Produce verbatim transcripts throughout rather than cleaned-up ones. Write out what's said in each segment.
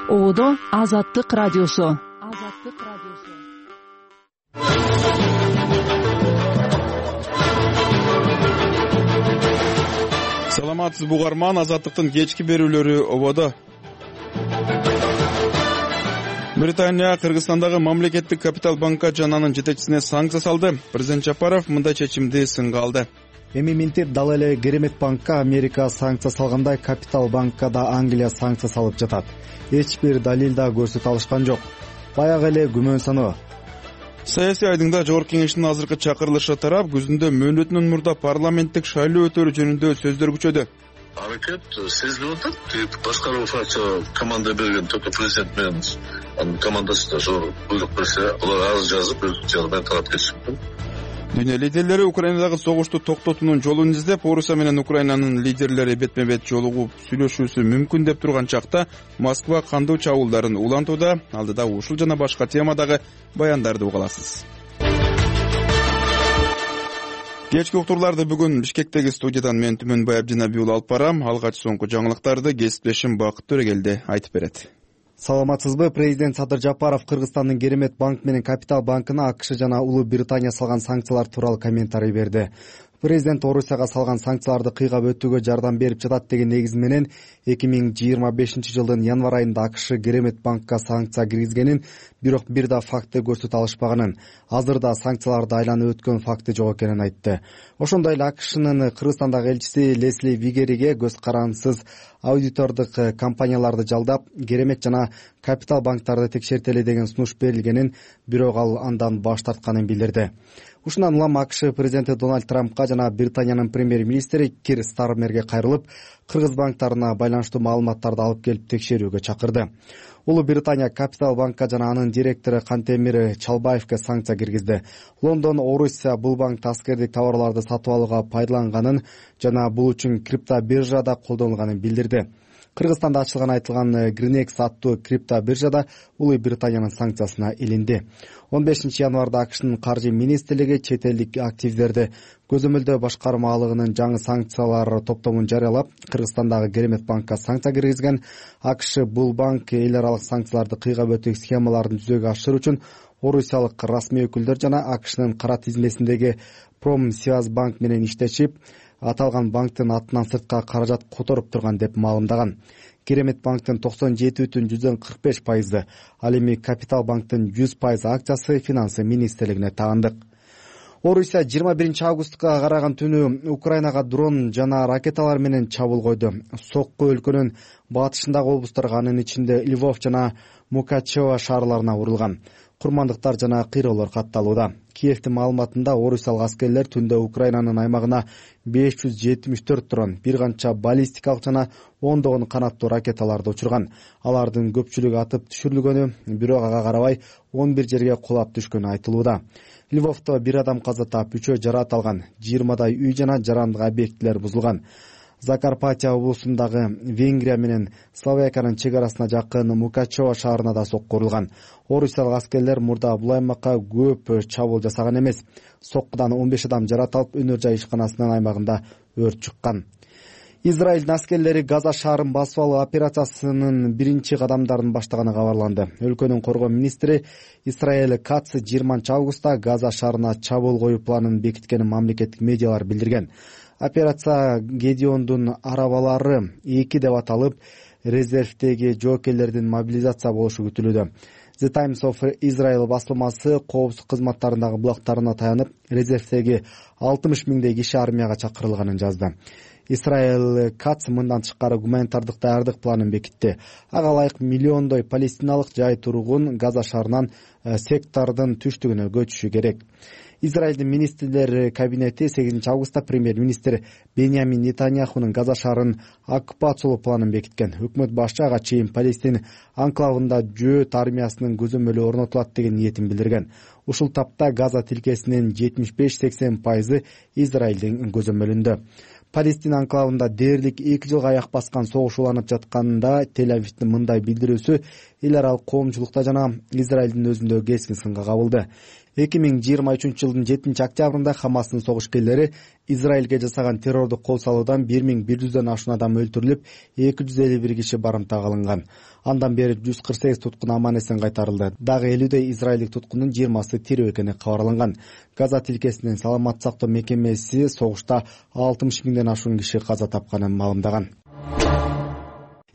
Ободо Азаттык радиосу. Азаттык радиосу. Саламатсызбы угарман, Азаттыктын кечки берүүлөрү ободо. Британия Кыргызстандагы мамлекеттик капитал банка жана анын жетекчисине санкция салды. Президент Жапаров мындай чечимди сынга алды. Эми минтип дал эле Керемет банкка Америка санкция салгандай Капитал банкка да Англия санкция салып жатат. Эч бир далил да көрсөтө алышкан жок. Баягы эле күмөн саноо. Саясий айдыңда Жогорку кеңештин азыркы чакырылышы тарап күзүндө мөөнөтүнөн мурда парламенттик шайлоо өтөрү жөнүндө сөздөр күчөдү. Аракет сезилип атат. Башкаруу фракция команда берген только президент менен анын командасы да зор буйрук берсе, алар арыз жазып, жагынан тарап кетиши мүмкүн. Дүйнө лидерлери Украинадагы согушту токтотуунун жолун издеп, Орусия менен Украинанын лидерлери бетме-бет жолугуп сүйлөшүүсү мүмкүн деп турган чакта Москва кандуу чабуулдарын улантууда. Алдыда ушул жана башка темадагы баяндарды уга аласыз. Кечки уктурларды бүгүн Бишкектеги студиядан мен Түмөнбай Абдинабий уулу алып барам. Алгач соңку жаңылыктарды кесиптешим Бакыт Төрөгелди айтып берет. Саламатсызбы? Президент Садыр Жапаров Кыргызстандын Керемет банк менен Капитал банкына АКШ жана Улуу Британия салган санкциялар тууралуу комментарий берди. Президент Орусияга салган санкцияларды кыйгап өтүүгө жардам берип жатат деген негиз менен эки миң жыйырма бешинчи жылдын январь айында АКШ Керемет банкка санкция киргизгенин, бирок бир да факты көрсөтө алышпаганын, азырда санкцияларды айланып өткөн факты жок экенин айтты. Ошондой эле АКШнын Кыргызстандагы элчиси Лесли Вигериге көз карансыз аудитордук компанияларды жалдап, Керемет жана Капитал банктарды текшертели деген сунуш берилгенин, бирок ал андан баш тартканын билдирди. Ушундан улам АКШ президенти Дональд Трампка жана Британиянын премьер-министри Кир Стармерге кайрылып, кыргыз банктарына байланыштуу маалыматтарды алып келип текшерүүгө чакырды. Улуу Британия Капитал банкка жана анын директору Кантемир Чалбаевге санкция киргизди. Лондон Орусия бул банкта аскердик товарларды сатып алууга пайдаланганын жана бул үчүн криптобиржада колдонулганын билдирди. Кыргызстанда ачылган айтылган Гринекс аттуу криптобиржада Улуу Британиянын санкциясына илинди. он бешинчи январда АКШнын каржы министрлиги чет элдик активдерди көзөмөлдөө башкармалыгынын жаңы санкциялар топтомун жарыялап, Кыргызстандагы Керемет банкка санкция киргизген. АКШ бул банк эл аралык санкцияларды кыйгап өтүү схемаларын жүзөгө ашыруу үчүн орусиялык расмий өкүлдөр жана АКШнын кара тизмесиндеги Промсвязьбанк менен иштешип, аталган банктын атынан сыртка каражат которуп турган деп маалымдаган. Керемет банктын токсон жети бүтүн жүздөн кырк беш пайызы, ал эми Капитал банктын жүз пайыз акциясы финансы министрлигине таандык. Орусия жыйырма биринчи августка караган түнү Украинага дрон жана ракеталар менен чабуул койду. Сокку өлкөнүн батышындагы облустарга, анын ичинде Львов жана Мукачево шаарларына урулган. Курмандыктар жана кыйроолор катталууда. Киевдин маалыматында орусиялык аскерлер түндө Украинанын аймагына беш жүз жетимиш төрт дрон, бир канча баллистикалык жана ондогон канаттуу ракеталарды учурган. Алардын көпчүлүгү атып түшүрүлгөнү, бирок ага карабай он бир жерге кулап түшкөнү айтылууда. Львовдо бир адам каза таап, үчөө жараат алган. жыйырмадай үй жана жарандык объектилер бузулган. Закарпатия облусундагы Венгрия менен Словакиянын чек арасына жакын Мукачево шаарына да сокку урулган. Орусиялык аскерлер мурда бул аймакка көп чабуул жасаган эмес. Соккудан он беш адам жараат алып, өнөр жай ишканасынын аймагында өрт чыккан. Израилдин аскерлери Газа шаарын басып алуу операциясынын биринчи кадамдарын баштаганы кабарланды. Өлкөнүн коргоо министри Исраэль Кац жыйырманчы августта Газа шаарына чабуул коюу планын бекиткенин мамлекеттик медиалар билдирген. Операция Гедеондун арабалары эки деп аталып, резервдеги жоокерлердин мобилизация болушу күтүлүүдө. The Times of Israel басылмасы коопсуздук кызматтарындагы булактарына таянып, резервдеги алтымыш миңдей киши армияга чакырылганын жазды. Исраэль Кац мындан тышкары гуманитардык даярдык планын бекитти. Ага ылайык миллиондой палестиналык жай тургун Газа шаарынан сектордун түштүгүнө көчүшү керек. Израилдин министрлер кабинети сегизинчи августта премьер-министр Беньямин Нетаньяхунун Газа шаарын оккупациялоо планын бекиткен. Өкмөт башчы ага чейин Палестин анклавында жөөт армиясынын көзөмөлү орнотулат деген ниетин билдирген. Ушул тапта Газа тилкесинин жетимиш беш сексен пайызы Израилдин көзөмөлүндө. Палестина анклавында дээрлик эки жылга аяк баскан согуш уланып жатканда Тель-Авивдин мындай билдирүүсү эл аралык коомчулукта жана Израилдин өзүндө кескин сынга кабылды. эки миң жыйырма үчүнчү жылдын жетинчи октябрында Хамастын согушкерлери Израилге жасаган террордук кол салуудан бир миң бир жүздөн ашуун адам өлтүрүлүп, эки жүз элүү бир киши барымтага алынган. Андан бери жүз кырк сегиз туткун аман-эсен кайтарылды. Дагы элүүдөй израилдик туткундун жыйырмасы тирүү экени кабарланган. Газа тилкесинин саламаттык сактоо мекемеси согушта алтымыш миңден ашуун киши каза тапканын маалымдаган.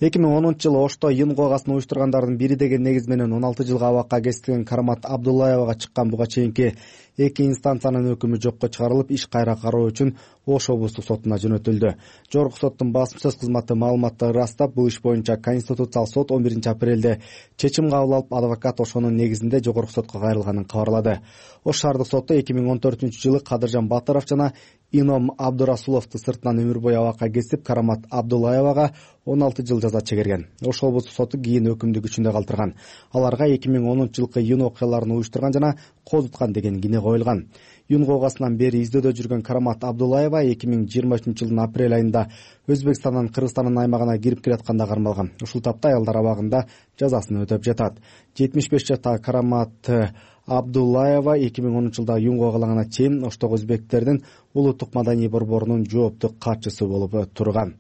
эки миң онунчу жылы Ошто Юнгу огасын уюштургандардын бири деген негиз менен он алты жылга абакка кесилген Карамат Абдуллаевага чыккан буга чейинки эки инстанциянын өкүмү жокко чыгарылып, иш кайра кароо үчүн Ош облустук сотуна жөнөтүлдү. Жогорку соттун басма сөз кызматы маалыматты ырастап, бул иш боюнча Конституциялык сот он биринчи апрелде чечим кабыл алып, адвокат ошонун негизинде жогорку сотко кайрылганын кабарлады. Ош шаардык соту эки миң он төртүнчү жылы Кадыржан Батыров жана Ином Абдурасуловду сыртынан өмүр бою абакка кесип, Карамат Абдуллаевага он алты жыл жаза чегерген. Ош облустук соту кийин өкүмдү күчүндө калтырган. Аларга эки миң онунчу жылкы июнь окуяларын уюштурган жана козуткан деген кине коюлган. Юнгу огасынан бери издөөдө жүргөн Карамат Абдуллаева эки миң жыйырма үчүнчү жылдын апрель айында Өзбекстандан Кыргызстандын аймагына кирип келатканда кармалган. Ушул тапта аялдар абагында жазасын өтөп жатат. жетимиш беш жаштагы Карамат Абдуллаева эки миң онунчу жылда Юнгу огалагана чейин Оштогу өзбектердин улуттук маданий борборунун жооптуу катчысы болуп турган.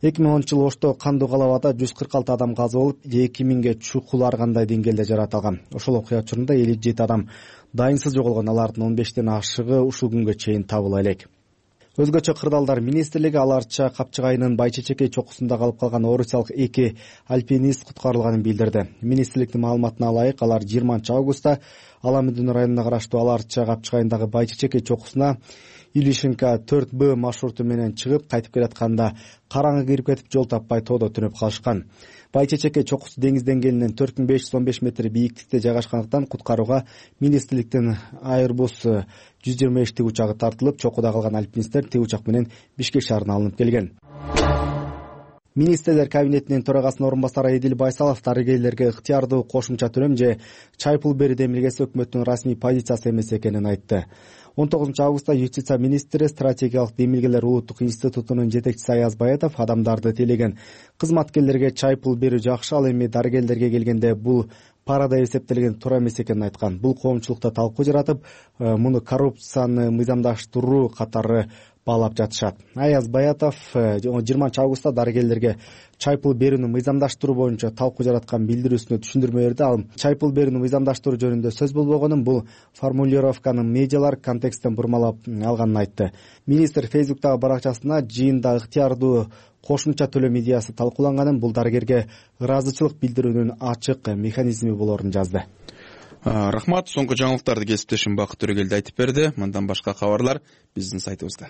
эки миң онунчу жылы Ошто Кандуу Калабада жүз кырк алты адам каза болуп, эки миңге чукул ар кандай деңгээлде жаратылган. Ошол окуя учурунда элүү жети адам дайынсыз жоголгон, алардын он бештен ашыгы ушул күнгө чейин табыла элек. Өзгөчө кырдаалдар министрлиги Аларча Капчыгайынын Байчечекей чокусунда калып калган орусиялык эки альпинист куткарылганын билдирди. Министрликтин маалыматына ылайык, алар жыйырманчы августта Аламүдүн районуна караштуу Аларча Капчыгайындагы Байчечекей чокусуна Илишинка төрт Б маршруту менен чыгып, кайтып келатканда караңгы кирип кетип, жол таппай тоодо түнөп калышкан. Байчечекей чокусу деңиз деңгээлинен төрт миң беш жүз он беш метр бийиктикте жайгашкандыктан куткарууга министрликтин Airbus жүз жыйырма беш тигучагы тартылып, чокуда калган альпинисттер тиг учак менен Бишкек шаарына алынып келген. Министрлер кабинетинин төрагасынын орун басары Эдил Байсалов дарыгерлерге ыктыярдуу кошумча төлөм же чай пул берүү демилгеси өкмөттүн расмий позициясы эмес экенин айтты. он тогузунчу августта юстиция министри стратегиялык демилгелер улуттук институтунун жетекчиси Аяз Баятов адамдарды тейлеген кызматкерлерге чай пул берүү жакшы, ал эми дарыгерлерге келгенде бул парада эсептелген туура эмес экенин айткан. Бул коомчулукта талкуу жаратып, муну коррупцияны мыйзамдаштыруу катары баалап жатышат. Аяз Баятов жыйырманчы августта дарыгерлерге чай пул берүүнү мыйзамдаштыруу боюнча талкуу жараткан билдирүүсүнө түшүндүрмө берди. Ал чай пул берүүнү мыйзамдаштыруу жөнүндө сөз болбогонун, бул формулировканын медиалар контексттен бурмалап алганын айтты. Министр Фейсбуктагы баракчасына жыйында ыктыярдуу кошумча төлөм идеясы талкууланганын, бул дарыгерге ыраазычылык билдирүүнүн ачык механизми болорун жазды. Рахмат. Соңку жаңылыктарды кесиптешим Бакыт Төрөгелди айтып берди. Мындан башка кабарлар биздин сайтыбызда.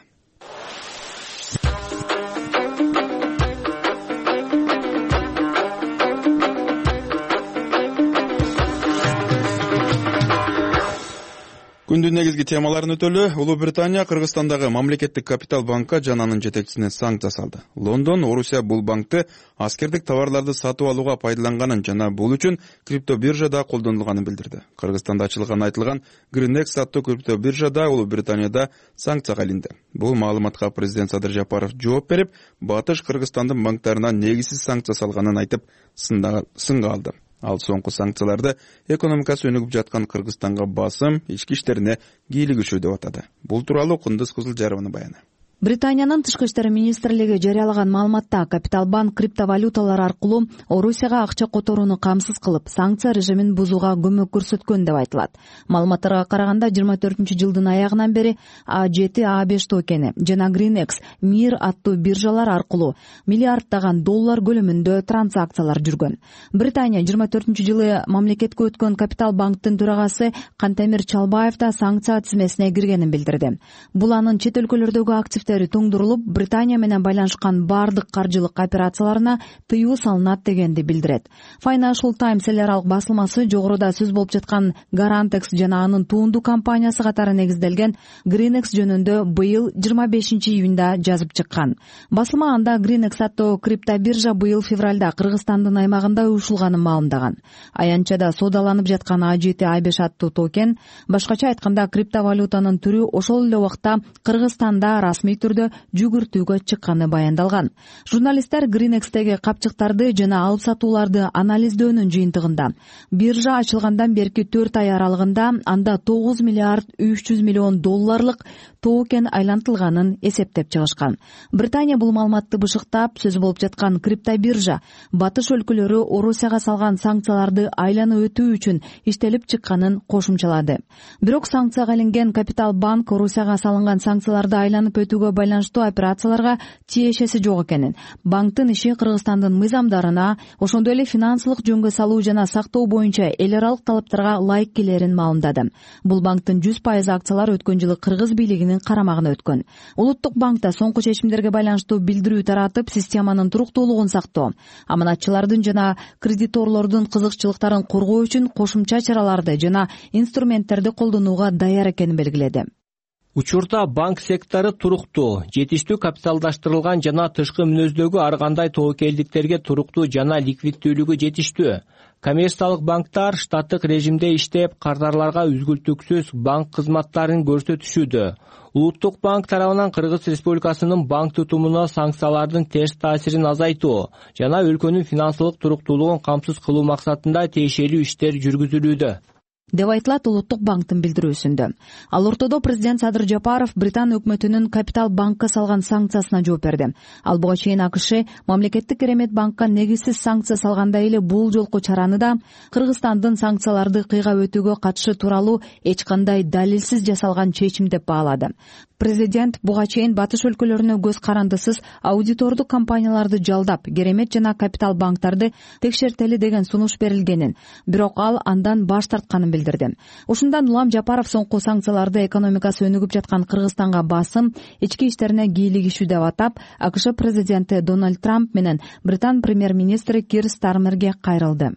Күндүн негизги темаларын өтөлү. Улуу Британия Кыргызстандагы мамлекеттик капитал банкка жана анын жетекчисине санкция салды. Лондон Орусия бул банкты аскердик товарларды сатып алууга пайдаланганын жана бул үчүн криптобиржада колдонулганын билдирди. Кыргызстанда ачылган айтылган Greenex аттуу криптобиржада Улуу Британияда санкцияга илинди. Бул маалыматка президент Садыр Жапаров жооп берип, Батыш Кыргызстандын банктарына негизсиз санкция салганын айтып, сынга алды. Ал соңку санкцияларды экономикасы өнүгүп жаткан Кыргызстанга басым, ички иштерине кийлигишүү деп атады. Бул тууралуу Кундуз Кызылжарованын баяны. Британиянын тышкы иштер министрлиги жарыялаган маалыматта Капитал банк криптовалюталар аркылуу Орусияга акча которууну камсыз кылып, санкция режимин бузууга көмөк көрсөткөн деп айтылат. Маалыматтарга караганда жыйырма төртүнчү жылдын аягынан бери А жети А беш токени жана Greenex Мир аттуу биржалар аркылуу миллиарддаган доллар көлөмүндө транзакциялар жүргөн. Британия жыйырма төртүнчү жылы мамлекетке өткөн Капитал банктын төрагасы Кантемир Чалбаев да санкция тизмесине киргенин билдирди. Бул анын чет өлкөлөрдөгү актив тоңдурулуп, Британия менен байланышкан бардык каржылык операцияларына тыюу салынат дегенди билдирет. Financial Times эл аралык басылмасы жогоруда сөз болуп жаткан Garantex жана анын туунду компаниясы катары негизделген Greenex жөнүндө быйыл жыйырма бешинчи июнда жазып чыккан. Басылма анда Greenex аттуу криптобиржа быйыл февралда Кыргызстандын аймагында уюшулганын маалымдаган. Аянтчада соодаланып жаткан А жети А беш аттуу токен, башкача айтканда криптовалютанын түрү ошол эле убакта Кыргызстанда расмий расмий түрдө жүгүртүүгө чыкканы баяндалган. Журналисттер Гринекстеги капчыктарды жана алып сатууларды анализдөөнүн жыйынтыгында биржа ачылгандан берки төрт ай аралыгында анда тогуз миллиард үч жүз миллион долларлык токен айлантылганын эсептеп чыгышкан. Британия бул маалыматты бышыктап, сөз болуп жаткан криптобиржа батыш өлкөлөрү Орусияга салган санкцияларды айланып өтүү үчүн иштелип чыкканын кошумчалады. Бирок санкцияга илинген Капитал банк Орусияга салынган санкцияларды айланып өтүүгө байланыштуу операцияларга тиешеси жок экенин, банктын иши Кыргызстандын мыйзамдарына, ошондой эле финансылык жөнгө салуу жана сактоо боюнча эл аралык талаптарга ылайык келерин маалымдады. Бул банктын жүз пайыз акциялары өткөн жылы кыргыз бийлигинин карамагына өткөн. Улуттук банкта соңку чечимдерге байланыштуу билдирүү таратып, системанын туруктуулугун сактоо, аманатчылардын жана кредиторлордун кызыкчылыктарын коргоо үчүн кошумча чараларды жана инструменттерди колдонууга даяр экенин белгиледи. Учурда банк сектору туруктуу, жетиштүү капиталдаштырылган жана тышкы мүнөздөгү ар кандай тобокелдиктерге туруктуу жана ликвиддүүлүгү жетиштүү. Коммерциялык банктар штаттык режимде иштеп, кардарларга үзгүлтүксүз банк кызматтарын көрсөтүшүүдө. Улуттук банк тарабынан Кыргыз Республикасынын банк тутумуна санкциялардын терс таасирин азайтуу жана өлкөнүн финансылык туруктуулугун камсыз кылуу максатында тиешелүү иштер жүргүзүлүүдө, деп айтылат Улуттук банктын билдирүүсүндө. Ал ортодо президент Садыр Жапаров Британ өкмөтүнүн Капитал банкка салган санкциясына жооп берди. Ал буга чейин АКШ мамлекеттик керемет банкка негизсиз санкция салгандай эле бул жолку чараны да Кыргызстандын санкцияларды кыйгап өтүүгө катышы тууралуу эч кандай далилсиз жасалган чечим деп баалады. Президент буга чейин батыш өлкөлөрүнө көз карандысыз аудитордук компанияларды жалдап, керемет жана Капитал банктарды текшертели деген сунуш берилгенин, бирок ал андан баш тартканын билдирди. Ушундан улам Жапаров соңку санкцияларды экономикасы өнүгүп жаткан Кыргызстанга басым, ички иштерине кийлигишүү деп атап, АКШ президенти Дональд Трамп менен Британ премьер-министри Кир Стармерге кайрылды.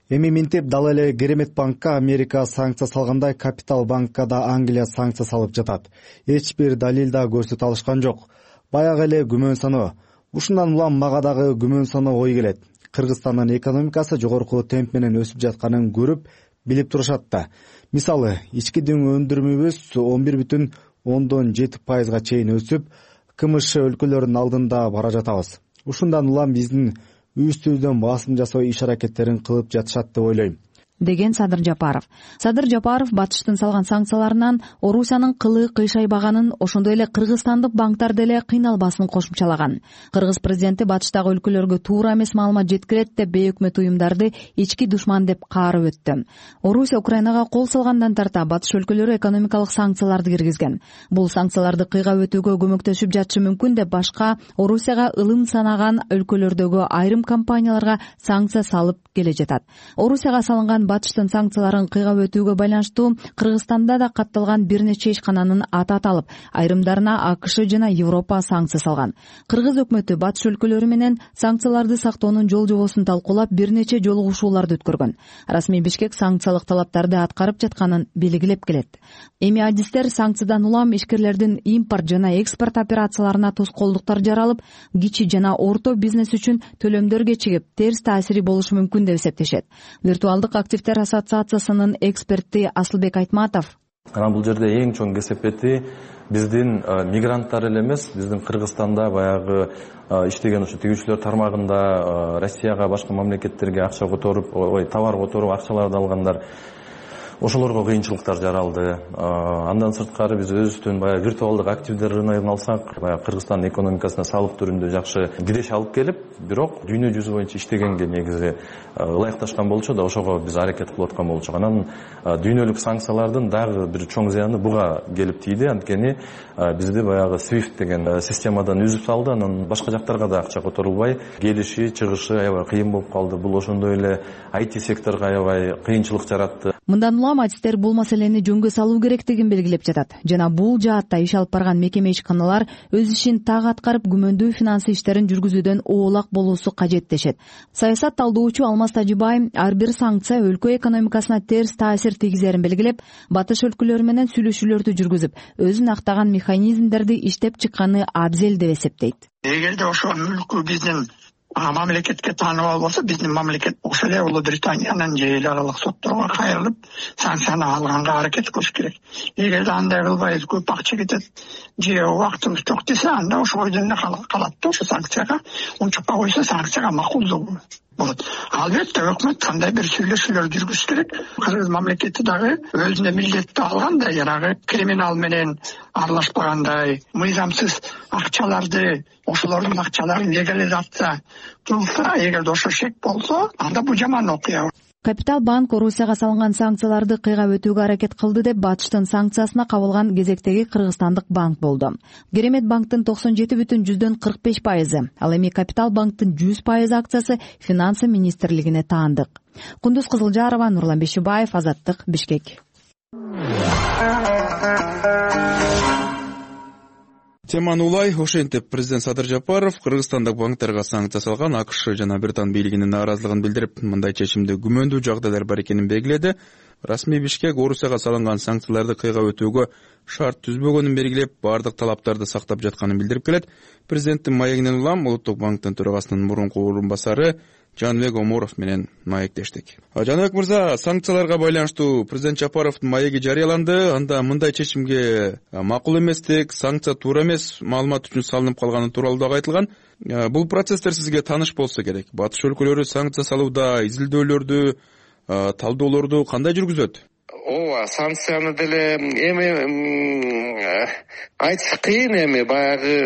Эми минтип дал эле Керемет банкка Америка санкция салгандай, Капитал банкка да Англия санкция салып жатат. Эч бир далил да көрсөтө алышкан жок. Баягы эле күмөн саноо. Ушундан улам мага дагы күмөн саноо ой келет. Кыргызстандын экономикасы жогорку темп менен өсүп жатканын көрүп, билип турушат да. Мисалы, ички дүң өндүрүмүбүз он бир бүтүн ондон жети пайызга чейин өсүп, КМШ өлкөлөрүнүн алдында бара жатабыз. Ушундан улам биздин үстүбүздөн басым жасоо иш-аракеттерин кылып жатышат деп ойлойм, деген Садыр Жапаров. Садыр Жапаров батыштын салган санкцияларынан Орусиянын кылы кыйшайбаганын, ошондой эле кыргызстандык банктар деле кыйналбасын кошумчалаган. Кыргыз президенти батыштагы өлкөлөргө туура эмес маалымат жеткирет деп бейөкмөт уюмдарды ички душман деп каарып өттү. Орусия Украинага кол салгандан тарта батыш өлкөлөрү экономикалык санкцияларды киргизген. Бул санкцияларды кыйгап өтүүгө көмөктөшүп жатышы мүмкүн деп башка Орусияга ылым санаган өлкөлөрдөгү айрым компанияларга санкция салып келе жатат. Орусияга салынган батыштын санкцияларын кыйгап өтүүгө байланыштуу Кыргызстанда да катталган бир нече ишкананын аты аталып, айрымдарына АКШ жана Европа санкция салган. Кыргыз өкмөтү батыш өлкөлөрү менен санкцияларды сактоонун жол жобосун талкуулап, бир нече жолугушууларды өткөргөн. Расмий Бишкек санкциялык талаптарды аткарып жатканын белгилеп келет. Эми адистер санкциядан улам ишкерлердин импорт жана экспорт операцияларына тоскоолдуктар жаралып, кичи жана орто бизнес үчүн төлөмдөр кечигип, терс таасири болушу мүмкүн деп эсептешет. Виртуалдык активдер ассоциациясынын эксперти Асылбек Айтматов: Анан бул жерде эң чоң кесепети биздин мигранттар эле эмес, биздин Кыргызстанда баягы иштеген ушу тигүүчүлөр тармагында Россияга, башка мамлекеттерге акча которуп, ой, товар которуп, акчаларды алгандар, ошолорго кыйынчылыктар жаралды. Андан сырткары биз өзүбүздүн баягы виртуалдык активдер рыногун алсак, баягы Кыргызстандын экономикасына салык түрүндө жакшы киреш алып келип, бирок дүйнө жүзү боюнча иштегенге негизи ылайыкташкан болчу да, ошого биз аракет кылып аткан болчук. Анан дүйнөлүк санкциялардын дагы бир чоң зыяны буга келип тийди. Анткени бизди баягы свифт деген системадан үзүп салды. Анан башка жактарга да акча которулбай, келиши, чыгышы аябай кыйын болуп калды. Бул ошондой эле ай ти секторго аябай кыйынчылык жаратты. Мындан улам адистер бул маселени жөнгө салуу керектигин белгилеп жатат жана бул жаатта иш алып барган мекеме ишканалар өз ишин так аткарып, күмөндүү финансы иштерин жүргүзүүдөн оолак болуусу кажет дешет. Саясат талдоочу Алмаз Тажибай ар бир санкция өлкө экономикасына терс таасир тийгизерин белгилеп, батыш өлкөлөрү менен сүйлөшүүлөрдү жүргүзүп, өзүн актаган механизмдерди иштеп чыкканы абзел деп эсептейт. Эгерде ошол өлкө биздин мамлекетке тааныбал болсо, биздин мамлекет ошол эле Улуу Британиянын же эл аралык сотторго кайрылып санкцияны алганга аракет кылыш керек. Эгерде андай кылбайбыз, көп акча кетет же убактыбыз жок десе, анда ошо бойдон эле калат да, ошо санкцияга унчукка койсо санкцияга макулдугу болот. Албетте өкмөт кандай бир сүйлөшүүлөр жүргүзүш керек. Кыргыз мамлекети дагы өзүнө милдетти алгандай, жанагы криминал менен аралашпагандай, мыйзамсыз акчаларды, ошолордун акчаларын легализация кылса, эгерде ошо шек болсо, анда бул жаман окуя. Капитал банк Орусияга салынган санкцияларды кыйгап өтүүгө аракет кылды деп батыштын санкциясына кабылган кезектеги кыргызстандык банк болду. Керемет банктын токсон жети бүтүн жүздөн кырк беш пайызы, ал эми Капитал банктын жүз пайыз акциясы Финансы министрлигине таандык. Кундуз Кызылжарова, Нурлан Бешибаев, Азаттык, Бишкек. Теманы улай. Ошентип президент Садыр Жапаров кыргызстандык банктерге санкция салган АКШ жана Британ бийлигинин нааразылыгын билдирип, мындай чечимде күмөндүү жагдайлар бар экенин белгиледи. Расмий Бишкек Орусияга салынган санкцияларды кыйгап өтүүгө шарт түзбөгөнүн белгилеп, бардык талаптарды сактап жатканын билдирип келет. Президенттин маегинен улам Улуттук банктын төрагасынын мурунку орун басары Жаныбек Оморов менен маектештик. Жаныбек мырза, санкцияларга байланыштуу президент Жапаровдун маеги жарыяланды. Анда мындай чечимге макул эместик, санкция туура эмес маалымат үчүн салынып калганы тууралуу дагы айтылган. Бул процесстер сизге тааныш болсо керек. Батыш өлкөлөрү санкция салууда изилдөөлөрдү, талдоолорду кандай жүргүзөт? Ооба, санкцияны деле эми айтыш кыйын, эми баягы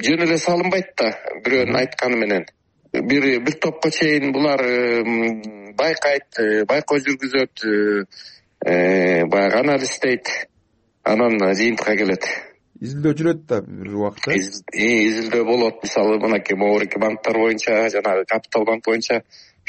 жөн эле салынбайт да, бирөөнүн айтканы менен. Бир бир топко чейин булар байкайт, байкоо жүргүзөт, баягы анализдейт, анан жыйынтыкка келет. Изилдөө жүрөт да бир убакта. Изилдөө болот. Мисалы, мынакей могорки банктар боюнча, жанагы Капитал банк боюнча,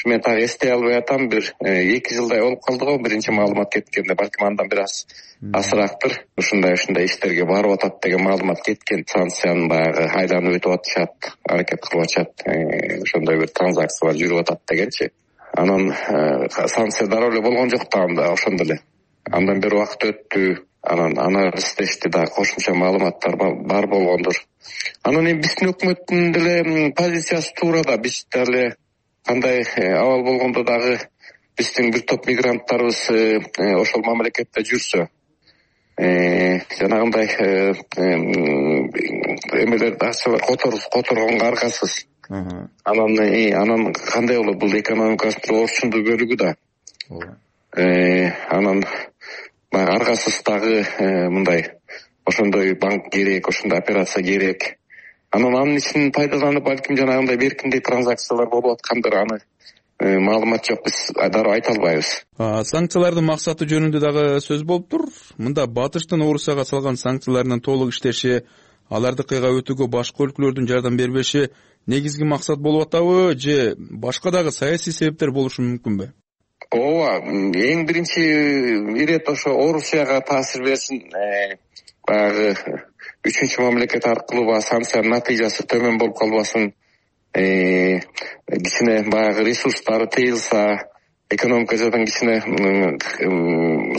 мен так эстей албай атам, бир эки жылдай болуп калды го биринчи маалымат кеткенде, балким андан бир аз азыраактыр. Ушундай ушундай иштерге барып атат деген маалымат кеткен. Санкциянын баягы айланып өтүп атышат, аракет кылып атышат, ошондой бир транзакциялар жүрүп атат дегенчи. Анан санкция дароо эле болгон жок да, анда ошондо эле. Андан бир убакыт өттү, анан анализдешти да, кошумча маалыматтар бар болгондур. Анан эми биздин өкмөттүн деле позициясы туура да, биз деле кандай абал болгондо дагы биздин бир топ мигранттарыбыз ошол мамлекетте жүрсө, жанагындай эмелер акчалар которгонго аргасыз. Анан анан кандай болот, бул экономикасынын орчундуу бөлүгү да. Анан аргасыз дагы мындай ошондой банк керек, ошондой операция керек. Анан анын ичинен пайдаланып, балким жанагындай беркиндей транзакциялар болуп аткандыр, аны маалымат жок, биз дароо айта албайбыз. Санкциялардын максаты жөнүндө дагы сөз болуптур. Мында батыштын Орусияга салган санкцияларынын толук иштеши, аларды кыйгап өтүүгө башка өлкөлөрдүн жардам бербеши негизги максат болуп атабы, же башка дагы саясий себептер болушу мүмкүнбү? Ооба, эң биринчи ирет ошо Орусияга таасир берсин, баягы үчүнчү мамлекет аркылуу санкциянын натыйжасы төмөн болуп калбасын, кичине баягы ресурстары тыйылса, экономика жадан кичине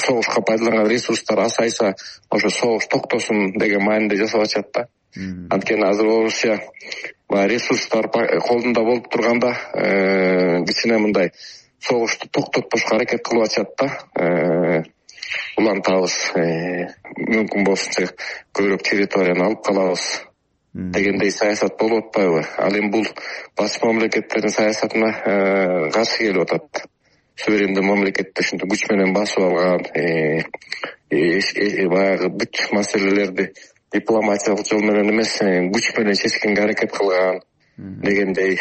согушка пайдаланган ресурстар азайса, ошо согуш токтосун деген мааниде жасап атышат да. Анткени азыр Орусия баягы ресурстар колунда болуп турганда кичине мындай согушту токтотпошко аракет кылып атышат да. Улантабыз, мүмкүн болсунча көбүрөөк территорияны алып калабыз дегендей саясат болуп атпайбы? Ал эми бул башка мамлекеттердин саясатына каршы келип атат. Суверендүү мамлекетти ушинтип күч менен басып алган, баягы бүт маселелерди дипломатиялык жол менен эмес, күч менен чечкенге аракет кылган дегендей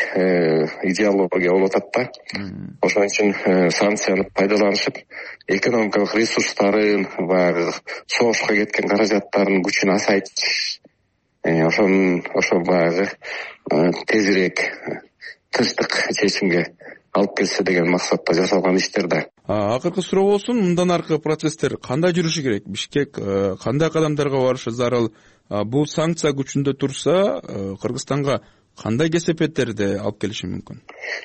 идеология болуп атат да. Ошон үчүн санкцияны пайдаланышып, экономикалык ресурстарын, баягы согушка кеткен каражаттардын күчүн азайтыш, ошон ошо баягы тезирээк тынчтык чечимге алып келсе деген максатта жасалган иштер да. Акыркы суроо болсун, мындан аркы процесстер кандай жүрүшү керек? Бишкек кандай кадамдарга барышы зарыл? Бул санкция күчүндө турса, Кыргызстанга кандай кесепеттерди алып келиши мүмкүн?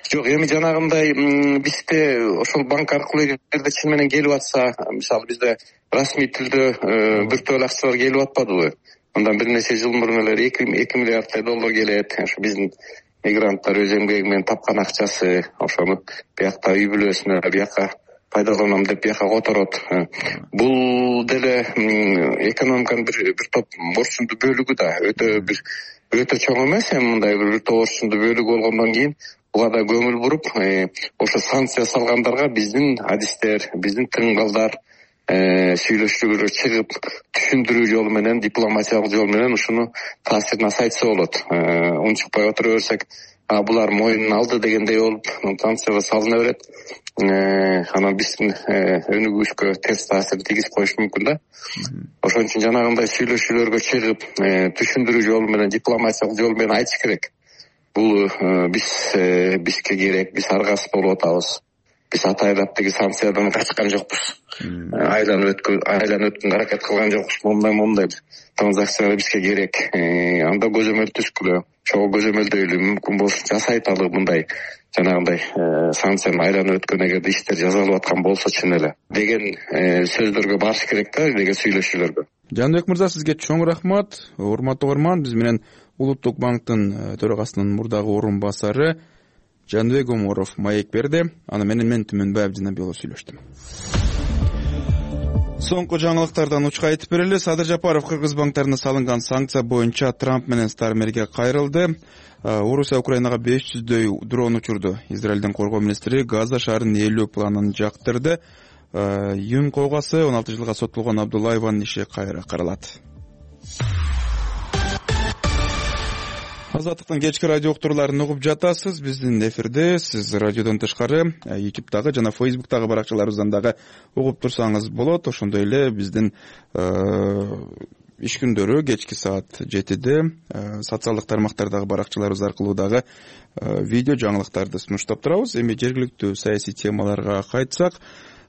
Жок, эми жанагындай бизде ошол банк аркылуу эгерде чын менен келип атса, мисалы бизде расмий түрдө биртөөл акчалар келип атпадыбы? Андан бир нече жыл мурун эле эки миллиарддай доллар келет. Ошо биздин мигранттар өз эмгеги менен тапкан акчасы ошону биякта үй бүлөсүнө биякка пайдаланам деп бияка которот. Бул деле экономиканын бир бир топ борчундуу бөлүгү да, өтө бир өтө чоң эмес, эми мындай бир топ борчундуу бөлүгү болгондон кийин буга да көңүл буруп, ошо санкция салгандарга биздин адистер, биздин тыңгалдар сүйлөшүүгө чыгып, түшүндүрүү жолу менен, дипломатиялык жол менен ушуну таасирин азайтса болот. Унчукпай отура берсек, булар моюнун алды дегендей болуп, санкцияга салына берет. Анан биздин өнүгүшкө терс таасир тийгизип коюшу мүмкүн да. Ошон үчүн жанагындай сүйлөшүүлөргө чыгып, түшүндүрүү жолу менен, дипломатиялык жол менен айтыш керек. Бул биз бизге керек, биз аргасыз болуп атабыз. Биз атайлап тиги санкциядан качкан жокпуз. Айланып өткөн, айланып өткөнгө аракет кылган жокпуз. Мондай мондай транзакциялар бизге керек. Анда көзөмөл түзгүлө, чогуу көзөмөлдөйлү, мүмкүн болсо жасайталы мындай жанагындай санкцияны айланып өткөн эгерде иштер жасалып аткан болсо чын эле деген сөздөргө барыш керек да, деген сүйлөшүүлөргө. Жаныбек мырза, сизге чоң рахмат. Урматтуу угарман, биз менен Улуттук банктын төрагасынын мурдагы орун басары Жаныбек Оморов маек берди. Аны менен мен Түмөнбаев Жанабеков сүйлөштүм. Соңку жаңылыктардан учка айтып берели. Садыр Жапаров кыргыз банктарына салынган санкция боюнча Трамп менен Стармерге кайрылды. Орусия Украинага беш жүздөй дрон учурду. Израилдин коргоо министри Газа шаарын ээлөө планын жактырды. Юн койгасы он алты жылга соттолгон Абдуллаеванын иши кайра каралат. Азаттыктын кечки радио уктурууларын угуп жатасыз. Биздин эфирде сиз радиодон тышкары YouTube'дагы жана Facebook'тагы баракчаларыбыздан дагы угуп турсаңыз болот. Ошондой эле биздин иш күндөрү кечки саат жетиде социалдык тармактардагы баракчаларыбыз аркылуу дагы видео жаңылыктарды сунуштап турабыз. Эми жергиликтүү саясий темаларга кайтсак,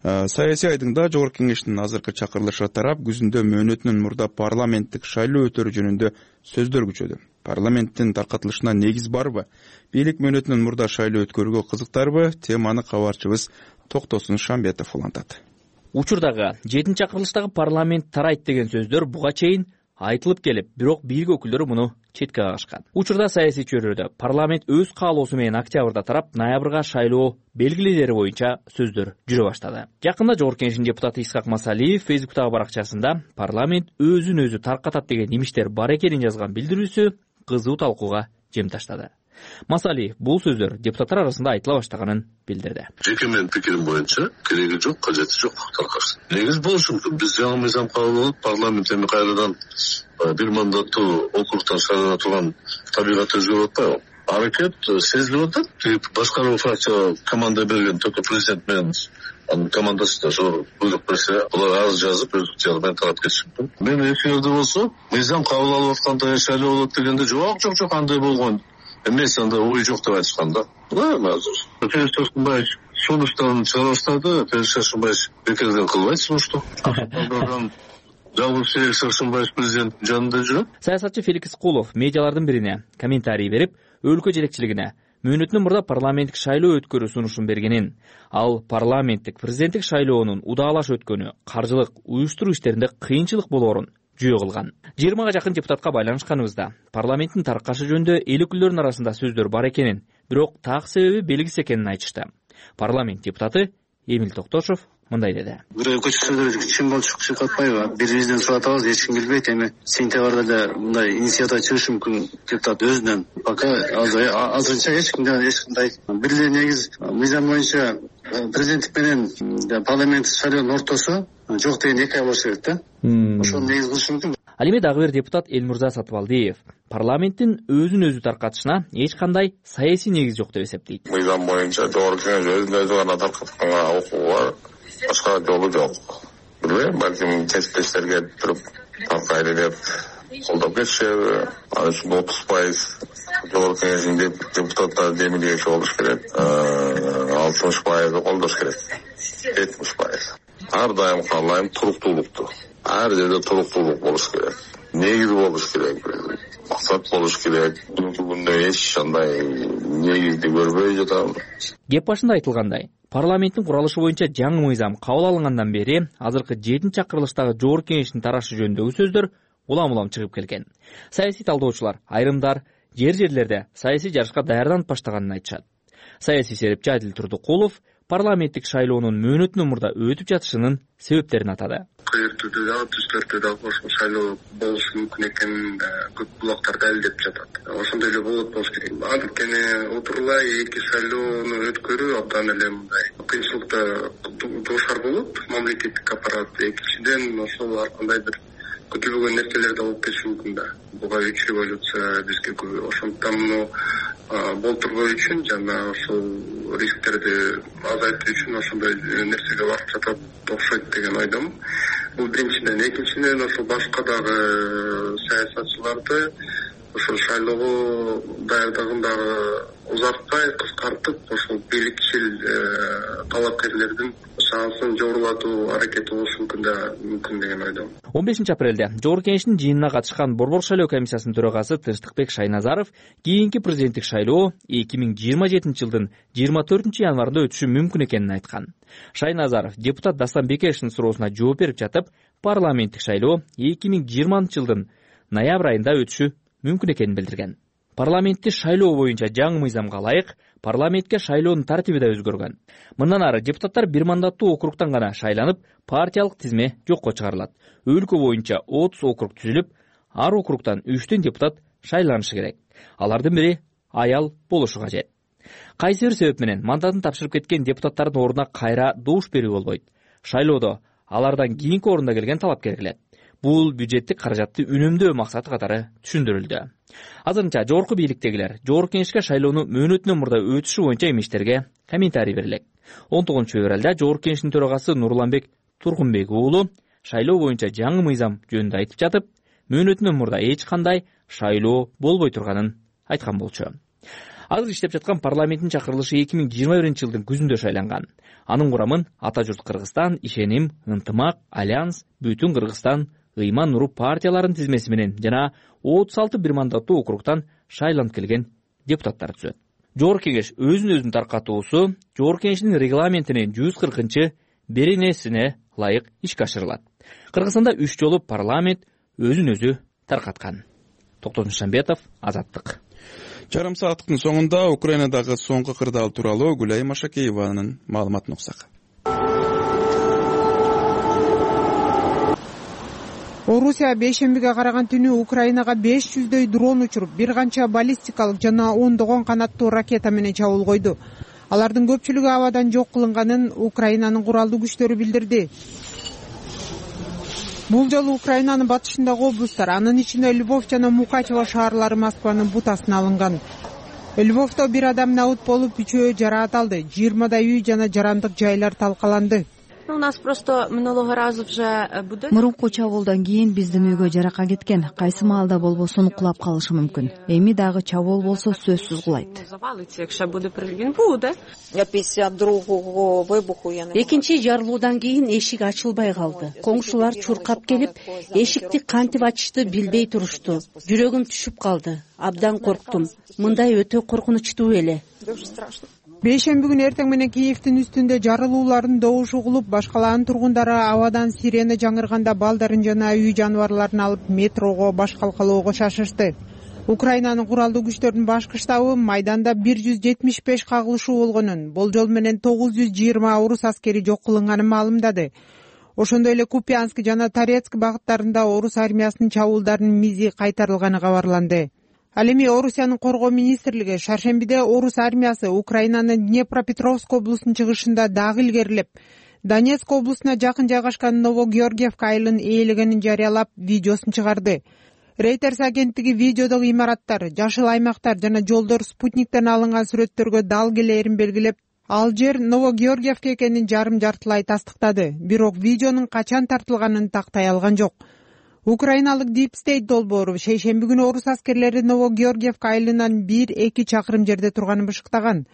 саясий айдыңда Жогорку Кеңештин азыркы чакырылышы тарап күзүндө мөөнөтүнөн мурда парламенттик шайлоо өтөрү жөнүндө сөздөр күчөдү. Парламенттин таркатылышына негиз барбы? Бийлик мөөнөтүнөн мурда шайлоо өткөрүүгө кызыктарбы? Теманы кабарчыбыз Токтосун Шамбетов улантат. Учурдагы жетинчи чакырылыштагы парламент тарайт деген сөздөр буга чейин айтылып келип, бирок бийлик өкүлдөрү муну четке кагышкан. Учурда саясий чөйрөдө парламент өз каалоосу менен октябрда тарап, ноябрга шайлоо белгилелери боюнча сөздөр жүрө баштады. Жакында Жогорку Кеңештин депутаты Исхак Масалиев Facebook'тагы баракчасында парламент өзүн өзү таркатат деген имиштер бар экенин жазган билдирүүсү кызуу талкууга жем таштады. Масалиев бул сөздөр депутаттар арасында айтыла баштаганын билдирди. Жеке менин пикирим боюнча кереги жок, кажети жок таркаш. Негиз болушу мүмкүн. Биз жаңы мыйзам кабыл кылып, парламент эми кайрадан бир мандаттуу округтан шайлана турган табигатты өзгөрүп атпайбы? Аракет сезилип атат. Башкаруу фракция команда берген, только президент менен анын командасы да зор буйрук берсе, булар арыз жазып, өз ыкчары менен тарап кетиши мүмкүн. Мен эфирде болсо, мыйзам кабыл алып атканда шайлоо болот дегенде жок, жок, жок, андай болгон эмес, анда ой жок деп айтышкан да. Эми азыр Ферис Тошкунбаев сунуштарын чыгара баштады. Ферис Тошкунбаев бекерден кылбайт сунушту. Жалгыз Ферис Тошкунбаев президент жанында жүрөт. Саясатчы Феликс Кулов медиалардын бирине комментарий берип, өлкө жетекчилигине мөөнөтүнөн мурда парламенттик шайлоо өткөрүү сунушун бергенин, ал парламенттик президенттик шайлоонун удаалаш өткөнү каржылык уюштуруу иштеринде кыйынчылык болоорун жүйө кылган. жыйырмага жакын депутатка байланышканыбызда парламенттин таркашы жөнүндө эл өкүлдөрүнүн арасында сөздөр бар экенин, бирок так себеби белгисиз экенин айтышты. Парламент депутаты Эмил Токтошов мындай деди. Бирөө көчкүсөдөр чын болуп чыгып атпайбы? Бирибизден сурап атабыз, эч ким билбейт. Эми сентябрда да мындай инициатива чыгышы мүмкүн депутат өзүнөн. Пока азырынча эч кимден эч кандай бир эле негиз мыйзам боюнча президенттик менен парламенттик шайлоонун ортосу жок деген эки ай болушу керек да. Ошону негиз кылышы мүмкүн. Ал эми дагы бир депутат Элмурза Сатыбалдиев парламенттин өзүн өзү таркатышына эч кандай саясий негиз жок деп эсептейт. Мыйзам боюнча Жогорку Кеңеш өзүн өзү гана таркатканга укугу бар, башка жолу жок. Билбейм, балким чечтештерге туруп таркайды деп колдоп кетишеби, ал үчүн отуз пайыз Жогорку Кеңештин депутаттары демилгечи болуш керек, алтымыш пайызы колдош керек, жетимиш пайыз. Ар дайым каалайм туруктуулукту. Ар жерде туруктуулук болуш керек, негиз болуш керек, максат болуш керек. Бүгүнкү күндө эч кандай негизди көрбөй жатам. Кеп башында айтылгандай, парламенттин куралышы боюнча жаңы мыйзам кабыл алынгандан бери азыркы жетинчи чакырылыштагы Жогорку Кеңештин тарашы жөнүндөгү сөздөр улам-улам чыгып келген. Саясий талдоочулар, айрымдар жер жерлерде саясий жарышка даярданып баштаганын айтышат. Саясий серепчи Адил Турдукулов парламенттик шайлоонун мөөнөтүнөн мурда өтүп жатышынын себептерин атады. Кыйыр түрдө дагы түз төрттө дагы ошол шайлоо болушу мүмкүн экенин көп булактар далилдеп жатат. Ошондой эле болот болуш керек. Анткени отурулай эки шайлоону өткөрүү абдан эле мындай кыйынчылыкта дуушар болот мамлекеттик аппарат. Экинчиден ошол ар кандай бир күтүлбөгөн нерселер да болуп кетиши мүмкүн да. Буга үч революция бизге күбө. Ошондуктан муну болтурбоо үчүн жана ошол рисктерди азайтуу үчүн ошондой нерсеге барып жатат окшойт деген ойдомун. Бул биринчиден. Экинчиден ошол башка дагы саясатчыларды ошол шайлоого даярдыгындагы узартпай кыскартып ошол бийликчил талапкерлердин шансын жогорулатуу аракети болушу мүмкүн да мүмкүн деген ойдомун. он бешинчи апрелде Жогорку Кеңештин жыйынына катышкан Борбор шайлоо комиссиясынын төрагасы Тынчтыкбек Шайназаров кийинки президенттик шайлоо эки миң жыйырма жетинчи жылдын жыйырма төртүнчү январында өтүшү мүмкүн экенин айткан. Шайназаров депутат Дастан Бекешевдин суроосуна жооп берип жатып, парламенттик шайлоо эки миң жыйырманчы жылдын ноябрь айында өтүшү мүмкүн экенин билдирген. Парламентти шайлоо боюнча жаңы мыйзамга ылайык парламентке шайлоонун тартиби да өзгөргөн. Мындан ары депутаттар бир мандаттуу округтан гана шайланып, партиялык тизме жокко чыгарылат. Өлкө боюнча отуз округ түзүлүп, ар округтан үчтөн депутат шайланышы керек. Алардын бири аял болушу кажет. Кайсы бир себеп менен мандатын тапшырып кеткен депутаттардын ордуна кайра добуш берүү болбойт. Шайлоодо алардан кийинки орунда келген талапкер келет. Бул бюджеттик каражатты үнөмдөө максаты катары түшүндүрүлдү. Азырынча жогорку бийликтегилер Жогорку Кеңешке шайлоонун мөөнөтүнөн мурда өтүшү боюнча эмиштерге комментарий берилет. он тогузунчу февралда Жогорку Кеңештин төрагасы Нурланбек Тургунбек уулу шайлоо боюнча жаңы мыйзам жөнүндө айтып жатып, мөөнөтүнөн мурда эч кандай шайлоо болбой турганын айткан болчу. Азыр иштеп жаткан парламенттин чакырылышы эки миң жыйырма биринчи жылдын күзүндө шайланган. Анын курамын Ата журт Кыргызстан, Ишеним, Ынтымак, Альянс, Бүтүн Кыргызстан, Ыйман Нуру партияларынын тизмеси менен жана отуз алты бир мандаттуу округтан шайланып келген депутаттар түзөт. Жогорку Кеңеш өзүн өзүн таркатуусу Жогорку Кеңештин регламентинин жүз кыркынчы беренесине ылайык ишке ашырылат. Кыргызстанда үч жолу парламент өзүн өзү таркаткан. Токтогул Шамбетов, Азаттык. Жарым сааттыктын соңунда Украинадагы соңку кырдаал тууралуу Гүлай Машакееванын маалыматын уксак. Орусия бейшембиге караган түнү Украинага беш жүздөй дрон учуруп, бир канча баллистикалык жана ондогон канаттуу ракета менен чабуул койду. Алардын көпчүлүгү абадан жок кылынганын Украинанын куралдуу күчтөрү билдирди. Бул жолу Украинанын батышындагы облусттар, анын ичинде Львов жана Мукачево шаарлары Москванын бутасына алынган. Львовдо бир адам набут болуп, үчөө жараат алды. жыйырмадай үй жана жарандык жайлар талкаланды. Мурунку чабуулдан кийин биздин үйгө жарака кеткен. Кайсы маалда болбосун кулап калышы мүмкүн. Эми дагы чабуул болсо сөзсүз кулайт. Экинчи жарылуудан кийин эшик ачылбай калды. Коңшулар чуркап келип, эшикти кантип ачышты билбей турушту. Жүрөгүм түшүп калды. Абдан корктум. Мындай өтө коркунучтуу эле. Бейшемби күнү эртең менен Киевдин үстүндө жарылуулардын добушу угулуп, башкалаанын тургундары абадан сирена жаңырганда балдарын жана үй жаныбарларын алып метрого, баш калкалоого шашышты. Украинанын куралдуу күчтөрүнүн башкы штабы майданда бир жүз жетимиш беш кагылышуу болгонун, болжол менен тогуз жүз жыйырма орус аскери жок кылынганын маалымдады. Ошондой эле Купянск жана Торецк багыттарында орус армиясынын чабуулдарынын мизи кайтарылганы кабарланды. Ал эми Орусиянын коргоо министрлиги шаршембиде орус армиясы Украинанын Днепропетровск облусунун чыгышында дагы илгерилеп, Донецк облусуна жакын жайгашкан Новогеоргиевка айылын ээлегенин жарыялап, видеосун чыгарды. Reuters агенттиги видеодогу имараттар, жашыл аймактар жана жолдор спутниктен алынган сүрөттөргө дал келээрин белгилеп, ал жер Новогеоргиевка экенин жарым жартылай тастыктады. Бирок видеонун качан тартылганын тактай алган жок. Украиналык Deep State долбоору шейшемби күнү орус аскерлери Новогеоргиевка айылынан бир эки чакырым жерде турганын бышыктаган.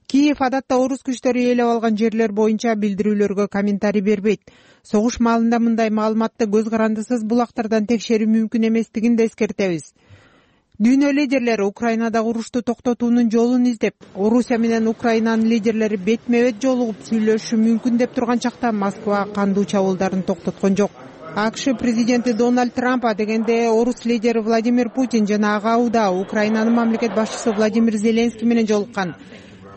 Киев адатта орус күчтөрү ээлеп алган жерлер боюнча билдирүүлөргө комментарий бербейт. Согуш маалында мындай маалыматты көз карандысыз булактардан текшерүү мүмкүн эместигин да эскертебиз. Дүйнө лидерлери Украинадагы урушту токтотуунун жолун издеп, Орусия менен Украинанын лидерлери бетме-бет жолугуп сүйлөшүшү мүмкүн деп турган чакта Москва кандуу чабуулдарын токтоткон жок. акш президенти Дональд Трамп адегенде орус лидери Владимир Путин жана ага убада Украинанын мамлекет башчысы Владимир Зеленский менен жолуккан.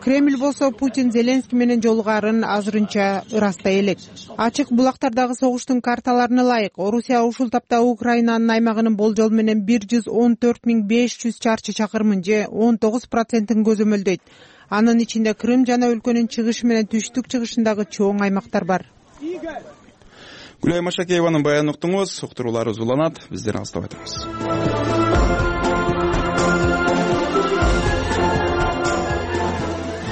Кремль болсо Путин Зеленский менен жолугаарын азырынча ырастай элек. Ачык булактардагы согуштун карталарына ылайык Орусия ушул тапта Украинанын аймагынын болжол менен бир жүз он төрт миң беш жүз чарчы чакырымын же он тогуз процентин көзөмөлдөйт. Анын ичинде Крым жана өлкөнүн чыгышы менен түштүк чыгышындагы чоң аймактар бар. Гүлай Машакееванын баянын уктуңуз. Уктуруулар узуланат. Биздер алыстабай турабыз.